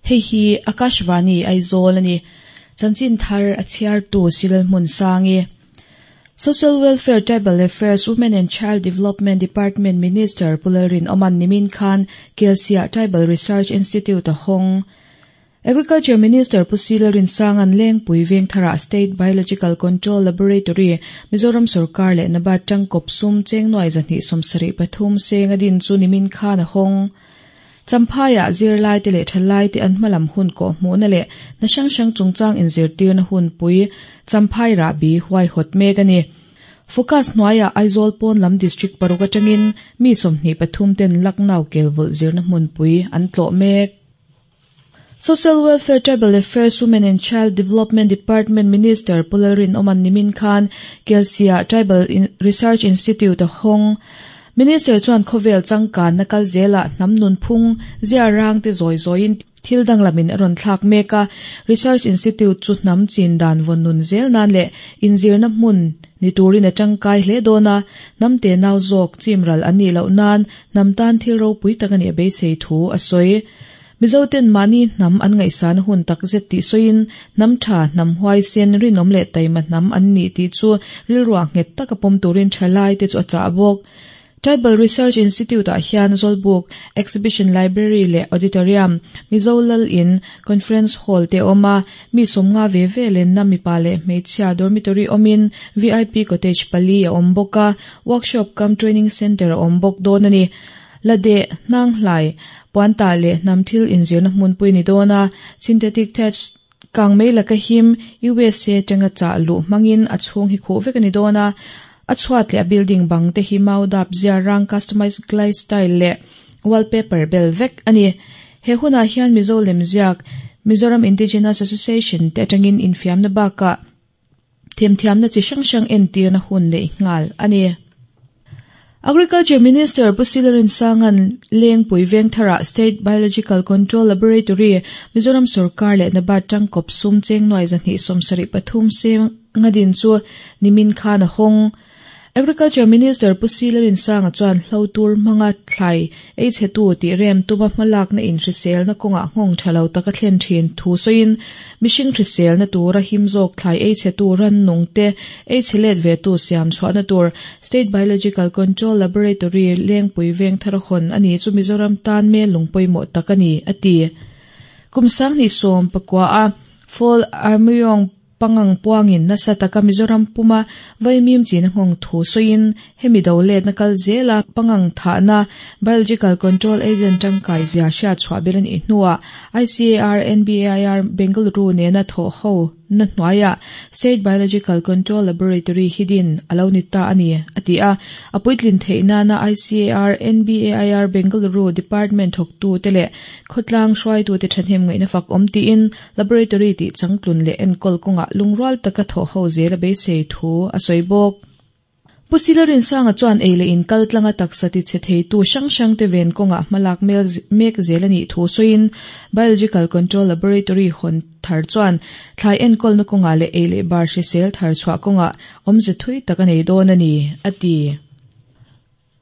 Hei hi Akashvani Aizawl a ni. Chanchin thar a chhiartu Silal Hmunsangi. Social Welfare, Tribal Affairs, Women and Child Development Department Minister Pu Lalrinawma'n nimin khan Kelsiah Tribal Research Institute a hawng. Agriculture Minister Pu Si Lalrinsanga'n Lengpui Vengtharah State Biological Control Laboratory, Mizoram sorkar leh NABARD tangkawp sum cheng nuai 273 seng a din chu nimin khan a hawng. Champhaiah zirlaite leh thalaite an hmalam hun kawh hmuhna leh hna hrang hrang chungchang inzirtirna hunpui Champhai rahbi huaihawt mek a ni. Focus hnuaiah Aizawl pawn lam District paruk atangin mi 23 ten Lucknow kelvawlh zirna hmunpui an tlawh mek. Social Welfare, Tribal Affairs, Women and Child Development Department Minister Pu Lalrinawma'n nimin khan Kelsiah Tribal Research Institute a hawng. Minister chuan khawvel changkanna kal zelah hnam nunphung zia rang te zawi zawiin thil danglamin a rawn thlak mek a. Research Institute chu hnam chin dan vawn nun zel nan leh inzirna hmun ni turin a tangkai hle dawn a, hnam te nau zawk chimral an nih loh nan hnam tan thil ropui tak a nih a beisei thu a sawi. Mizoten mahni hnam an ngaihsana hun takzet tih sawiin, hnam tha, hnam huaisen, rinawm leh taima hnam an nih tih chu rilruah nghet taka pawm turin thalai te chu a chah bawk. Tribal Research Institute-ah hian Zawlbuk, Exhibition Library leh Auditorium, Mizo Lal In, Conference Hall te a awm a, mi 50 ve ve lenna mipa leh hmeichhia dormitory awmin VIP Cottage pali a awm bawk a, Workshop cum Training Centre a awm bawk dawn a ni. La deh, hnang hlai, puantah leh hnam thil inzirna hmunpui ni dawn a, synthetic thatch kang mai laka him USA atanga chah luh hmangin a chhung hi khuh vek a ni dawn a, a chhuat leh a building bang te hi mau dap zia rang customized glaze tile leh wallpaper bel vek a ni. He hunah hian Mizo lemziak, Mizoram Indigenous Association te atangin infiamna bakah Themthiamna chi hrang hrang entirna hun neih nghal a ni. Agriculture Minister Pu Silarin Sanga'n Lengpui Vengtharah State Biological Control Laboratory, Mizoram sorkar leh NABARD tangkawp sum cheng nuai 273 seng a din chu nimin khan a hawng. Agriculture Minister Pu Silarinsanga chuan hlo tur hmanga thlai ei chhetu tih rem tuma hmalakna inhriselna kawngah nghawng tha lo taka thlen thin thu sawiin mihring hriselna tura him zawk thlai ei chhetu rannung te ei chhe let ve tu siam chhuahna tur State Biological Control Laboratory Lengpui Vengthar hawn a ni chu Mizoram tan mel lung pawimawh tak a ni, a ti. Kum 2019 a Fall Armyawng Pangang puangin nasa taka Mizoram puma vaimim chin a nghawng thu sawiin hemi do letna kal zela pangang thahna Biological Control Agent tangkai zia hriat chhuah ber a nih hnuah ICAR NBAIR Bengaluru nena thawh ho na hnuaiah State Biological Control Laboratory hi din a lo ni ta a ni, a ti a. A puitlin theih nana ICAR NBAIR Bengaluru Department thawktute leh khawtlang hruaitute thahnem ngaihna fak awm tiin Laboratory tih changtlun leh enkawl kawngah lungrual taka thawh ho zel a beisei thu a sawi bawk. Pu Sila Rinsanga chuan ei leh in kal tlanga taksa ti chhe theitu hrang hrangte ven kawngah hmalak mek zel a nih thu sawiin Biological Control Laboratory hawn thar chuan thlai enkawlna kawngah leh ei leh bar hrisel thar chhuah kawngah awmze thui tak a nei dawn a ni, a ti.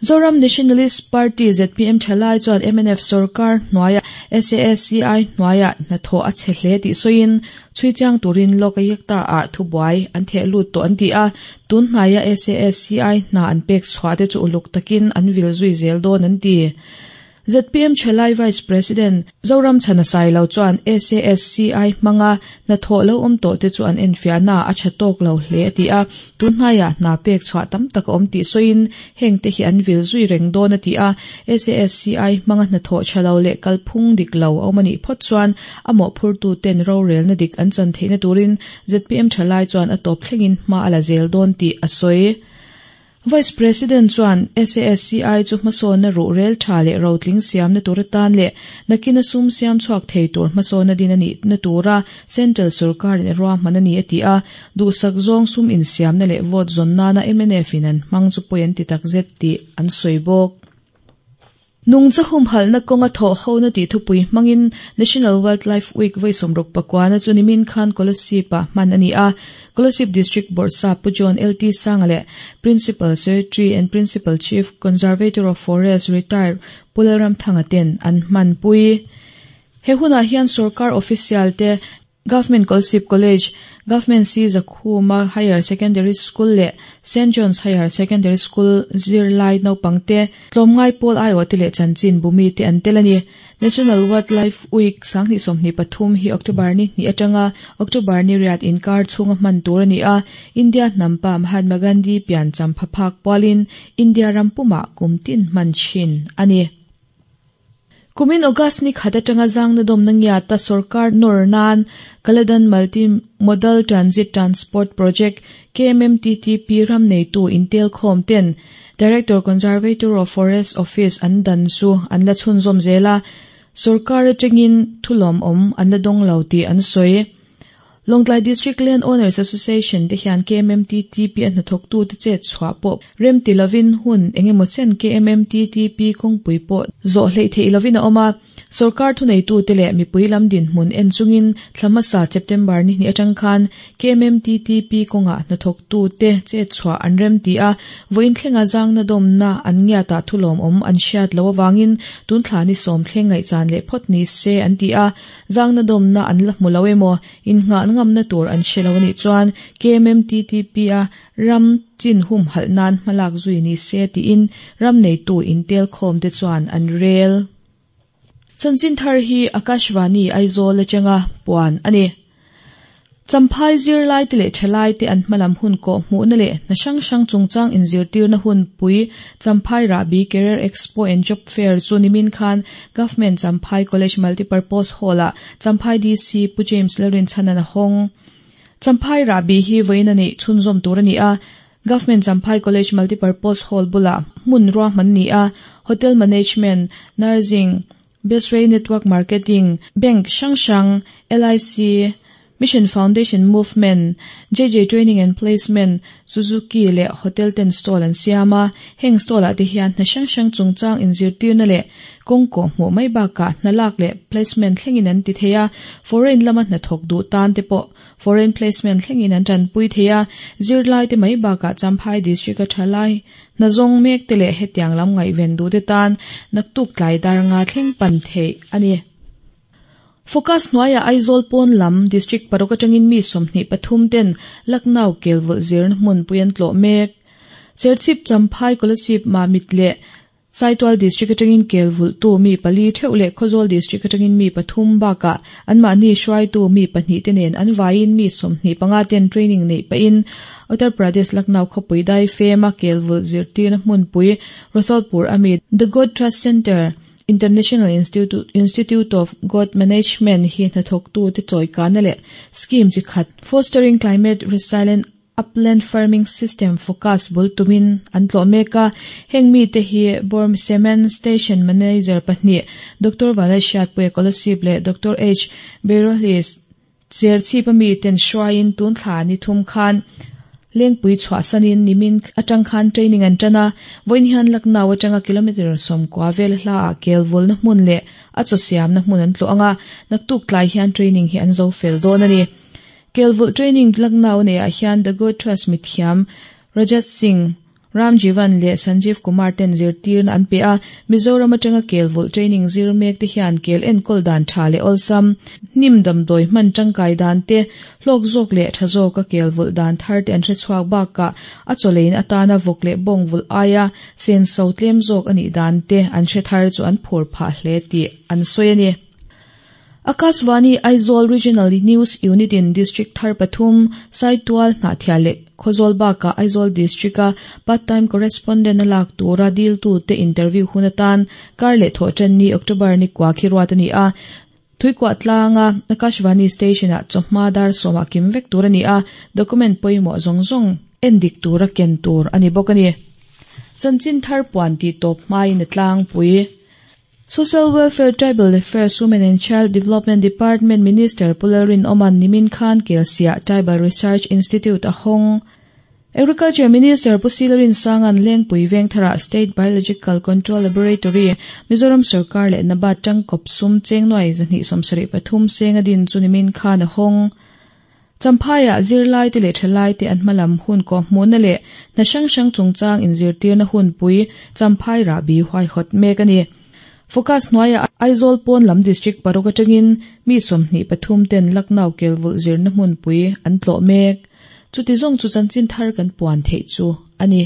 Zoram Nationalist Party, zpm, thalai chuan mnf sorkar hnuaia SASCI hnuaia hnathawh a chhe hle tih sawiin chhui chiang turin Lokayukta ah thubuai an theh lut tawh an ti a, tun hnaia SASCI hna an pek chhuah te chu uluk takin an vil zui zel dawn an ti. Zpm Thalai Vice President Zoram Chhana Sailo chuan SASCI hmanga hnathawh lo awm tawh te chu an enfiahna a tha tawk lo hle a ti a, tun hnaiah hna pek chhuah tam tak a awm tih sawiin heng te hi an vil zui reng dawn a ti a, SASCI hmanga hnathawh tha lo leh kalphung dik lo a awm a nih phawt chuan a mawhphurtu ten rorelna dik an chan theihna turin zpm Thalai chuan a tawp thlengin hma a la zel dawn tih a sawi. Vice President chuan SASCI chu hmasawnna ruhrel tha leh rotling siamna tur atan leh nakina sum siam chhuak thei tur hmasawnna din a nihna tura Central sorkarin a ruahman a ni a ti a, duhsak zawng sum insiamna leh vote zawn nana mnf in an hmang chu pawi an ti takzet tih an sawi bawk. Nungcha humhalhna kawnga thawh hona tih thupui hmangin National Wildlife Week vawi 69 na chu nimin khan Kolasib-ah hman a ni a. Kolasib District Bawrhsap Pu John LT Sanga leh Principal Secretary and Principal Chief Conservator of Forest Retired Pu Lalramthanga ten an hmanpui. He hunah hian sorkar official te, Government Kolasib College, Government C Zakhuma Higher Secondary School leh Saint John's Higher Secondary School zirlai naupang te, tlawmngai pawl aiawh te leh chanchin bumi te an tel a ni. National Wildlife Week 2023 hi October ni hnih atanga October ni riat inkar chhunga hman tur a ni a, India hnampa Mahatma Gandhi pian champha phak pualin India ram pumah kum tin hman thin a ni. Kumin August ni khat atanga zangna dawmna ngiata sorkar nawr nan Kaladan Multi Modal Transit Transport Project, KMMTTP, ram neitu intelkhawm ten Director Conservator of Forest Office an dan chu an la chhunzawm zel a, sorkar atangin thulawmawm an la dawng lo tih an sawi. Lawngtlai District Land Owners Association te hian KMMTTP a hnathawktute chet chhuah pawh rem ti lovin hun eng emaw chen KMMTTP kawngpui pawh zawh hleih theih lovin a awm a. Sorkar thuneitute leh mipui lam dinhmun en chungin thla hmasa September ni hnih atang khan KMMTTP kawngah hnathawktute chet chhuah an rem ti a, vawiin thlenga zangna dawmna an ngiatah thulawmawm an hriat loh avangin tun thla ni sawm thleng ngaihchan leh phawt ni se an ti a. Zangna dawmna an la hmu lo emaw, innghah ngamna tur an hre lo a nih chuan KMMTTP-a ram chin humhalh nan hmalak zui ni se tiin ram neitu intelkhawm te chuan an rel. Chanchin thar hi Akashvani Aizawl atanga puan a ni. Champhai zirlaite leh thalaite an hmalam hun kawh hmuhna leh hna hrang hrang chungchang inzirtirna hunpui Champhai Rahbi Career Expo and Job Fair chu nimin khan Government Champhai College Multipurpose Hall-ah Champhai DC Pu James Lalrinchhanan a hawng. Champhai Rahbi hi vawiin a neih chhunzawm tur a ni a, Government Champhai College Multipurpose Hall bulah hmun ruahman ni a, Hotel Management, Nursing, Bestway Network Marketing, Bank hrang hrang, LIC, Mission Foundation Movement, JJ Training and Placement, Suzuki leh Hotel ten stall an siam a, heng stall ah te hian hna hrang hrang chungchang inzirtirna leh kawng kawh hmuh mai bakah hna lak leh placement thlengin an ti thei a, foreign lama hnathawk duh tan te pawh foreign placement thlengin an tanpui thei a, zirlai te mai bakah Champhai District a tha lai Hna zawng mek te leh hetiang lam ngaihven duh te tan naktuk tlai dar nga thleng pan theih a ni. Focus hnuaiah Aizawl pawn lam District paruk atangin mi 23 ten Lucknow kelvulh zirna hmunpui an tlawh mek. Serchhip, Champhai, Kolasib, Mamit leh Saitual District atangin kelvulhtu mi pali theuh leh Khawzawl District atangin mi pathum bakah anmahni hruaitu mi pahnih te nen an vaiin mi 25 ten training neih pahin Uttar Pradesh Lucknow khawpui dai fema kelvulh zirtirna hmunpui Rasalpur ami The Goat Trust Centre, International Institute of Goat Management hi hnathawktute chawikana leh scheme chi khat Fostering Climate Resilient Upland Farming System focus bul tumin an tlawh mek a, heng mite hi Borm Cement Station Manager pahnih Doctor Valai Hriatpuia Kolasib leh Doctor H Berohlis Serchhip a miten hruaiin tun thla ni thum khan Lengpui chhuahsanin nimin atang khan training an tan a, vawiin hian Lucknow atanga kilometre 90 vel hlaah kelvulna hmun leh a chaw siamna hmun an tlawh ang a, naktuk tlai hian training hi an zo fel dawn a ni. Kelvulh training Lucknow neiah hian The Good Trust mithiam Rajat Singh, Ram Jivan leh Sanjeev Kumar ten zirtirna an pe a, Mizoram atanga kel vulh training zir mek te hian kel enkawl dan tha leh awlsam, hnim damdawi hman tangkai dan te, hlawk zawk leh tha zawka kel vulh dan thar te an hre chhuak bakah a chawlein atana vawk leh bawng vulh aia senso tlem zawk a nih dan te an hre thar chu an phur phah hle tih an sawi a ni. Akashvani Aizawl Regional News Unit in District thar pathum, Saitual, Hnahthial leh Khawzawl bakah Aizawl District-a Part Time Correspondent a lak tura diltute interview hun atan kar leh thawh tan ni October ni kua khi ruat a ni a. Thuikuah tlanga Akashvani Station-ah chawhma dar sawmah kim vek tur a ni a, document pawimawh zawng zawng en dik tura ken tur a ni bawk a ni. Chanchin thar puan tih tawp hmain a tlangpui. Social Welfare, Tribal Affairs, Women and Child Development Department Minister Pu Lalrinawma'n nimin khan Kelsiah Tribal Research Institute a hawng. Agriculture Minister Pu Silrinsanga'n Lengpui Vengtharah State Biological Control Laboratory, Mizoram Sorkar leh NABARD tangkawp sum cheng nuai 273 seng a din chu nimin khan a hawng. Champhaiah zirlaite leh thalaite an hmalam hun kawhhmuhna leh hna hrang hrang chungchang inzirtirna hunpui Champhai rahbi huaihawt mek a ni. Focus hnuaiah Aizawl pawn lam District paruk atangin mi 23 ten Lucknow kelvulh zirna hmunpui an tlawh mek. Chuti zawng chu chanchin thar kan puan theih chu a ni.